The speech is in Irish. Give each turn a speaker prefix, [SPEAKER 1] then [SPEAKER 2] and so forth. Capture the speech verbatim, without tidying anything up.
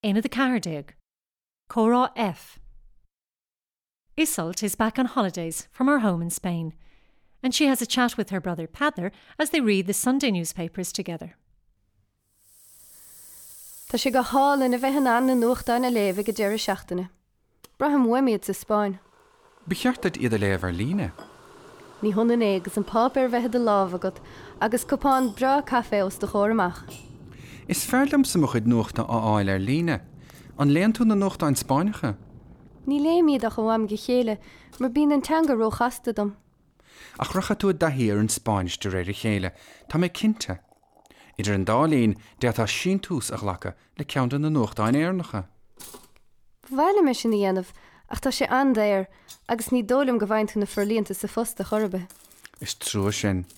[SPEAKER 1] Aonad a ceathair déag. Comhrá F. Iseult is back on holidays from her home in Spain, and she has a chat with her brother Peadar as they read the Sunday newspapers together.
[SPEAKER 2] Tá sé go hálainn a bheith in ann na nuachtáin a léamh ag an deireadh seachtaine. Braithim uaim iad sa Spáinn.
[SPEAKER 3] Ba cheart duit iad a léamh ar líne.
[SPEAKER 2] Ní hionann é agus an páipéar a bheith i do lámh agat agus cupán breá caife os do chomhair amach.
[SPEAKER 3] Is fearr liomsa mo chuid nuachta a fháil ar líne. An léann tú na nuachtáin Spáinneacha?
[SPEAKER 2] Ní léim iad ach ó am go chéile mar bíonn an teanga róchasta dom.
[SPEAKER 3] Ach rachaidh tú i dtaithí ar an Spáinnis de réir a chéile, tá mé cinnte. Idir an dá linn, d'fhéadfá síntiús a ghlacadh le ceann de na nuachtáin Éireannacha.
[SPEAKER 2] Ba mhaith liom é sin a dhéanamh ach tá sé an-daor agus ní dóigh liom go bhfaigheann tú na forlíonta sa phost ar chor ar bith.
[SPEAKER 3] Is trua sin.